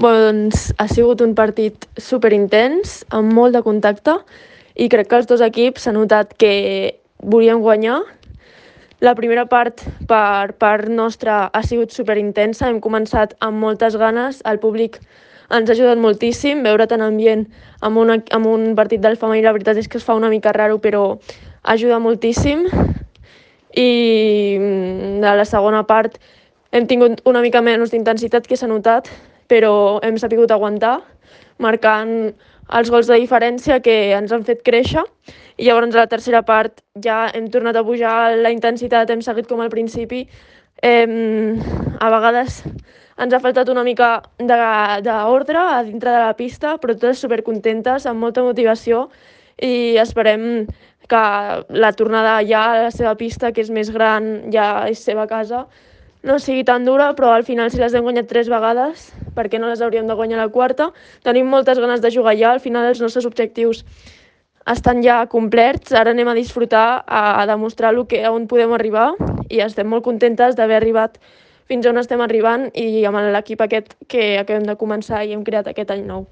Doncs ha sigut un partit superintens, amb molt de contacte, i crec que els dos equips s'ha notat que volien guanyar. La primera part, per part nostra, ha sigut superintensa. Hem començat amb moltes ganes. El públic ens ha ajudat moltíssim. Veure tant ambient amb un partit del femení, la veritat és que es fa una mica raro, però ajuda moltíssim. I de la segona part hem tingut una mica menys d'intensitat, que s'ha notat, però hem sabut aguantar, marcant els gols de diferència que ens han fet créixer. I llavors a la tercera part ja hem tornat a pujar la intensitat, hem seguit com al principi. A vegades ens ha faltat una mica d'ordre a dintre de la pista, però totes supercontentes, amb molta motivació, i esperem que la tornada ja a la seva pista, que és més gran, ja és seva casa, no sigui tan dura, però al final, si les hem guanyat 3 vegades, per què no les hauríem de guanyar la quarta? Tenim moltes ganes de jugar ja, al final els nostres objectius estan ja complerts, ara anem a disfrutar, a demostrar on podem arribar, i estem molt contentes d'haver arribat fins on estem arribant i amb l'equip aquest que acabem de començar i hem creat aquest any nou.